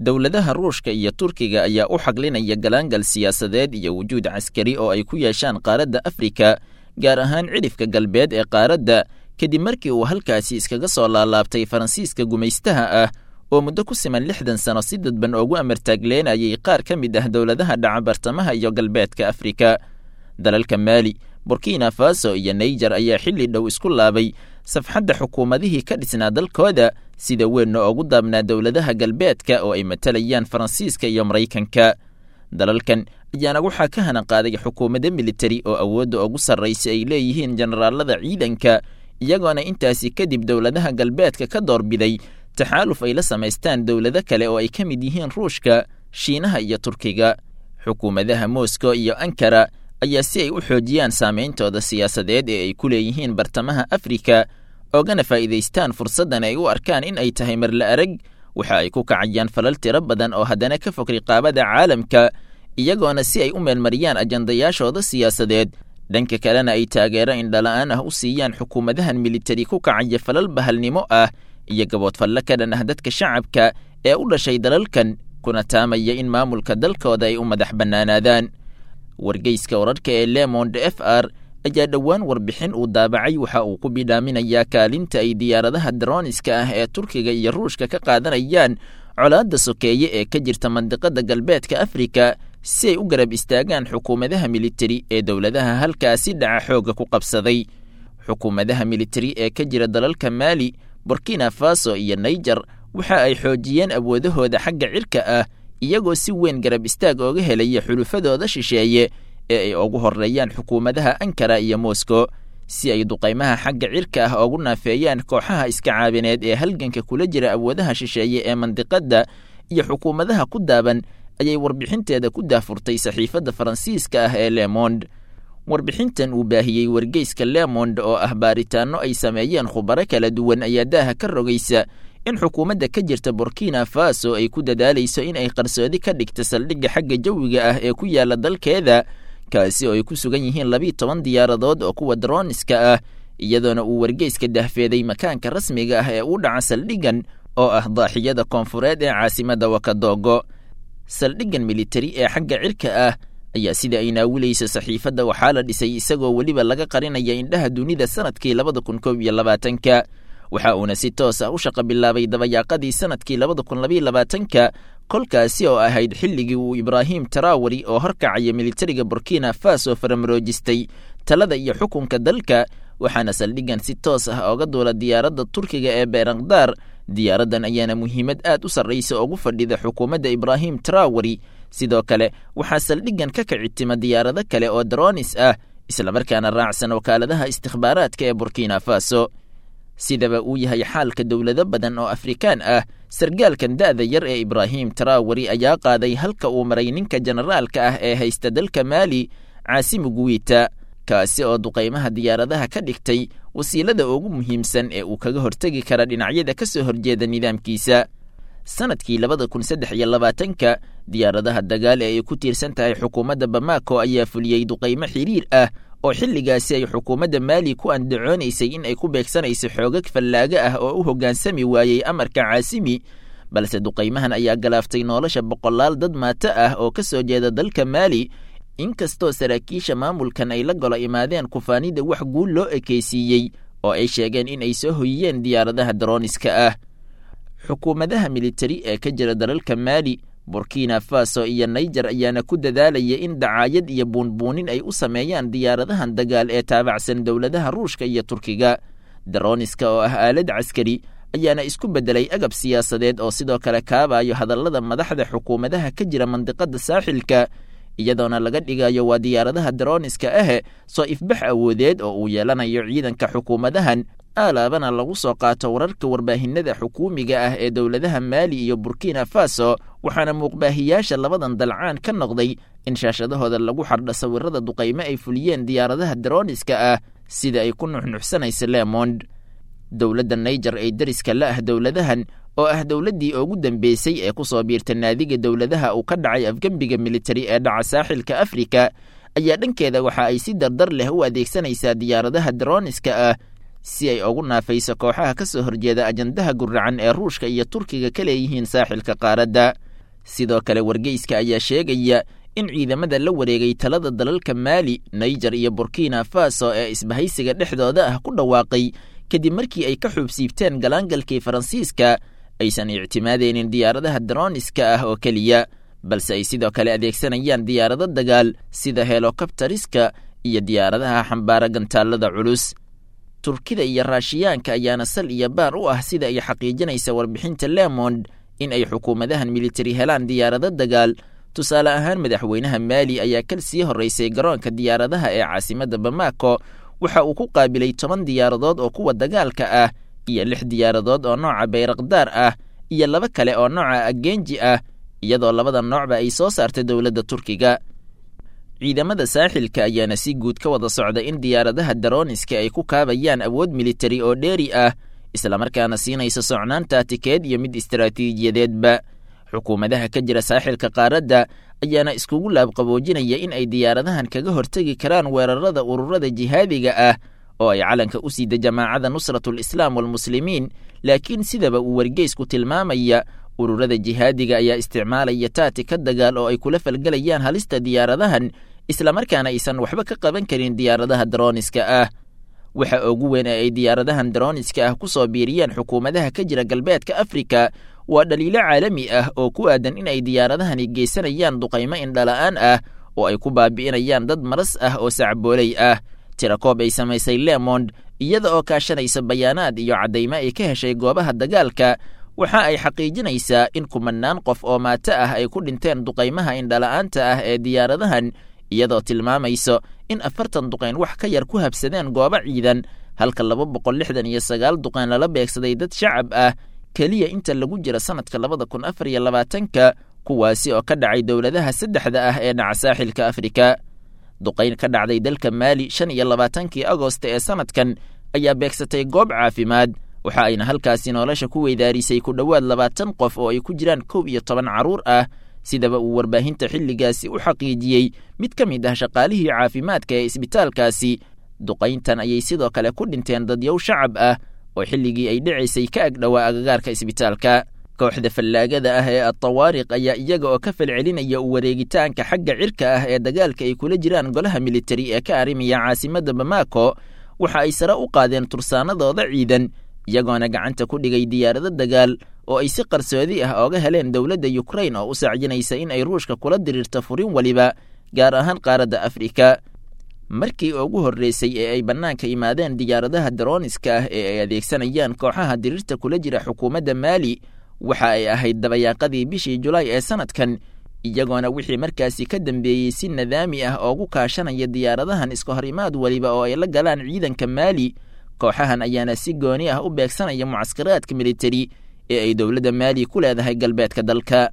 Dowladaha Ruushka iyo Turkiga ayaa u xaglinaya galaangal siyaasadeed iyo wujuud caskari oo ay ku yeeshaan qaaradda Afrika, gaar ahaan cidhifka galbeed ee qaaradda, kadib markii uu halkaasi iskaga soo laalaabtay Faransiiska gumaystaha ah oo muddo ku siman 60 sano si dadban ugu amartaagleenayay qaar ka mid ah dowladaha dhaca bartamaha iyo galbeedka Afrika. Dalalka Maali, Burkina Faso iyo Naijer ayaa xilli dhow isku laabay safxadda xukuumadihii ka dhisnaa dalkooda, sida weynna ugu daabnaa dowladaha galbeedka oo ay matalayaan Faransiiska iyo Maraykanka. Dalalkan ayaana waxaa ka hanan qaaday xukuumado militari oo awoodda ugu sarraysa ay leeyihiin generaalada ciidanka, iyagoona intaasi kadib dowladaha galbeedka ka doorbiday taxaaluf ay la samaystaan dowlado kale oo ay ka mid yihiin Ruushka, Shiinaha iyo Turkiga. Xukuumadaha Moscow iyo Ankara ayaa si ay u xoojiyaan saameyntooda siyaasadeed ee ay ku leeyihiin bartamaha Afrika, oogana faa'iidaystaan fursaddan ay u arkaan in ay tahay marla arag, waxa ay ku kacayaan falal tiro badan oo haddana ka fog riqaabada caalamka, iyagoona si ay u meelmariyaan ajandayaashooda siyaasadeed, dhanka kalena ay taageero indhala-aan ah u siiyaan xukuumadahan militari ku kacaya falal bahalnimo ah iyo gaboodfallo ka dhan ah dadka shacabka ee u dhashay dalalkan, kuna taamaya in maamulka dalkooda ay u madax bannaanaadaan. Wargeyska wararka ee Lemond F R ayaa dhowaan warbixin uu daabacay waxa uu ku bidhaaminayaa kaalinta ay diyaaradaha droniska ah ee Turkiga iyo Ruushka ka qaadanayaan colaadda sokeeye ee ka jirta mandiqada galbeedka Afrika, si ay u garab istaagaan xukuumadaha militari ee dowladaha halkaasi dhaca xoogga ku qabsaday. Xukuumadaha militari ee ka jira dalalka Maali, Burkina Faso iyo Naijer waxa ay xoojiyeen awoodahooda xagga cirka ah, iyagoo si weyn garab istaag ooga helaya xulufadooda shisheeye ee ay ugu horreeyaan xukuumadaha Ankara iyo Moscow, si ay duqaymaha xagga cirka ah ugu naafeeyaan kooxaha iska caabineed ee halganka kula jira awoodaha shisheeye ee mandiqadda iyo xukuumadaha ku daaban, ayay warbixinteeda ku daafurtay saxiifadda Faransiiska ah ee Lemond. Warbixintan uu baahiyey wargeyska Lemond oo ah baaritaanno ay sameeyeen khubaro kala duwan ayaa daaha ka rogaysa in xukuumadda ka jirta Burkina Faso ay ku dadaalayso in ay qarsoodi ka dhigta saldhigga xagga jawiga ah ee ku yaala dalkeeda, kaasi oo ay ku sugan yihiin 12 diyaaradood oo kuwa droniska ah, iyadoona uu wargeyska dahfeeday makaanka rasmiga ah ee u dhaca saldhiggan oo ah daaxiyada koonfureed ee caasimadda Wakadogo. Saldhiggan militari ee xagga cirka ah ayaa sida ay naawilayso saxiifadda waxaa la dhisay isagoo weliba laga qarinaya indhaha dunida sanadkii 2021-ka, waxa uuna si toos ah u shaqa bilaabay dabayaaqadii sanadkii 2022-ka, kolkaasi oo ahayd xilligii uu Ibraahim Tarawari oo horkacaya militariga Burkina Faso faramaroojistay talada iyo xukunka dalka, waxaana saldhiggan si toos ah ooga duula diyaaradda Turkiga ee Beerakdaar. Diyaaraddan ayaana muhiimad aad u sarraysa ugu fadhida xukuumadda Ibraahim Tarawari. Sidoo kale waxaa saldhiggan ka kicitima diyaarado kale oo dronis ah, islamarkaana raacsan wakaaladaha istikhbaaraadka ee Burkina Faso. Sidaba uu yahay xaalka dowlado badan oo Afrikaan ah, sargaalkan da'da yar ee Ibraahim Tarawari ayaa qaaday halka uu maray ninka generaalka ah ee haysta dalka Maali, Caasimu Guwiita, kaasi oo duqaymaha diyaaradaha ka dhigtay wasiilada ugu muhiimsan ee uu kaga hortegi kara dhinacyada ka soo horjeeda nidaamkiisa. Sanadkii 2023-ka diyaaradaha dagaal ee ay ku tiirsan tahay xukuumadda Bamako ayaa fuliyey duqaymo xiriir ah oo xilligaasi ay xukuumadda Maali ku andacoonaysay in ay ku beegsanayso xoogag fallaaga ah oo u hoggaansami waayey amarka Caasimi, balse duqaymahan ayaa galaaftay nolosha boqolaal dad maato ah oo ka soo jeeda dalka Maali, inkastoo saraakiisha maamulkan ay la golo imaadeen kufaanida wax guul loo ekeysiiyey oo ay sheegeen in ay soo hoyiyeen diyaaradaha droniska ah. Xukuumadaha militari ee ka jira dalalka Maali, Burkina Faso iyo Naijer ayaana ku dadaalaya in dacaayad iyo buunbuunin ay u sameeyaan diyaaradahan dagaal ee taabacsan dowladaha Ruushka iyo Turkiga. Droniska oo ah aalad caskari ayaana isku beddelay agab siyaasadeed oo sidoo kale kaabayo hadallada madaxda xukuumadaha ka jira mandiqada saaxilka, iyadoona laga dhigayo waa diyaaradaha droniska ahe soo ifbax awoodeed oo uu yeelanayo ciidanka xukuumadahan, aalaabana lagu soo qaato wararka warbaahinada xukuumiga ah ee dowladaha Maali iyo Burkina Faso, waxaana muuqbaahiyaasha labadan dalcaan ka noqday in shaashadahooda lagu xardho sawirada duqaymo ay fuliyeen diyaaradaha droniska ah, sida ay ku nuxnuxsanaysa Lemond. Dowladda Naijer ee deriska la ah dowladahan oo ah dowladdii ugu dambeysay ee ku soo biirta naadiga dowladaha uu ka dhacay afgembiga militari ee dhaca saaxilka Afrika, ayaa dhankeeda waxa ay si dardar leh u adeegsanaysaa diyaaradaha droniska ah si ay ugu naafayso kooxaha ka soo horjeeda ajandaha guracan ee Ruushka iyo Turkiga ka leeyihiin saaxilka qaaradda. Sidoo kale wargeyska ayaa sheegaya in ciidamada la wareegay talada dalalka Maali, Naijer iyo Burkina Faso ee isbahaysiga dhexdooda ah ku dhawaaqay kadib markii ay ka xuubsiibteen galaangalkii Faransiiska aysan ictimaadeynin diyaaradaha daroniska ah oo keliya, balse ay sidoo kale adeegsanayaan diyaarado dagaal sida helokabtariska iyo diyaaradaha xambaara gantaallada culus. Turkida iyo Raashiyaanka ayaana sal iyo baar u ah sida ay xaqiijinaysa warbixinta Lemond in ay xukuumadahan militari helaan diyaarado dagaal. Tusaale ahaan, madaxweynaha Maali ayaa kal sii horreysay garoonka diyaaradaha ee caasimadda Bamako waxa uu ku qaabilay 10 diyaaradood oo kuwa dagaalka ah iyo 6 diyaaradood oo nooca Bayrakdaar ah iyo 2 kale oo nooca Agenji ah, iyadoo labada noocba ay soo saartay dowladda Turkiga. Ciidamada saaxilka ayaana si guud ka wada socda in diyaaradaha daroniska ay ku kaabayaan awood militari oo dheeri ah, islamarkaana siinaysa socnaan taatikeed iyo mid istaraatiijiyadeedba. Xukuumadaha ka jira saaxilka qaaradda ayaana iskugu laabqaboojinaya in ay diyaaradahan kaga hortegi karaan weerarada ururada jihaadiga ah oo ay calanka u siida jamaacada Nusratul Islaam walmuslimiin. Laakiin sidaba uu wargeysku tilmaamaya, ururada jihaadiga ayaa isticmaalaya taatika dagaal oo ay kula falgelayaan halista diyaaradahan, islamarkaana aysan waxba ka qaban karin diyaaradaha daroniska ah. Waxa ugu weyn ee ay diyaaradahan daroniska ah ku soo biiriyeen xukuumadaha ka jira galbeedka Afrika waa dhaliilo caalami ah oo ku aadan in ay diyaaradahani geysanayaan duqaymo indhala'aan ah oo ay ku baabi'inayaan dad maras ah oo sacbooley ah. Tirakoob ay samaysay Lemond iyada oo kaashanaysa bayaanaad iyo caddaymo ay ka heshay goobaha dagaalka, waxa ay xaqiijinaysaa in kumanaan qof oo maato ah ay ku dhinteen duqaymaha indhala'aanta ah ee diyaaradahan, iyadoo tilmaamayso in 40 duqayn wax ka yar ku habsadeen goobo ciidan, halka 269 duqayn lala beegsaday dad shacab ah keliya inta lagu jira sanadka 2024-ka, kuwaasi oo ka dhacay dowladaha saddexda ah ee dhaca saaxilka Afrika. Duqayn ka dhacday dalka Maali 25-kii Agost ee sanadkan ayaa beegsatay goob caafimaad, waxa ayna halkaasi nolosha ku weydaarisay ku dhowaad 20 qof oo ay ku jiraan 11 carruur ah, sidaba uu warbaahinta xilligaasi u xaqiijiyey mid ka mid ah shaqaalihii caafimaadka ee isbitaalkaasi. Duqayntan ayay sidoo kale ku dhinteen dadyow shacab ah oo xilligii ay dhicaysay ka agdhowaa agagaarka isbitaalka. Kooxda fallaagada ah ee Atawaariq ayaa iyaga oo ka falcelinaya u wareegitaanka xagga cirka ah ee dagaalka ay kula jiraan golaha militari ee ka arrimaya caasimadda Bamako, waxa ay sare u qaadeen tursaanadooda ciidan, iyagoona gacanta ku dhigay diyaarado dagaal oo ay si qarsoodi ah ooga heleen dowladda Ukrain oo u sacjinaysa in ay Ruushka kula diriirto furin waliba, gaar ahaan qaaradda Afrika. Markii ugu horreysay ee ay bannaanka imaadeen diyaaradaha daroniska ah ee ay adeegsanayaan kooxaha diriirta kula jira xukuumadda Maali waxa ay ahayd dabayaaqadii bishii Julaay ee sanadkan, iyagoona wixii markaasi ka dambeeyey si nadaami ah oogu kaashanaya diyaaradahan iska hor imaad waliba oo ay la galaan ciidanka Maali. Kooxahan ayaana si gooni ah u beegsanaya mucaskaraadka militari ee ay dowladda Maali ku leedahay galbeedka dalka.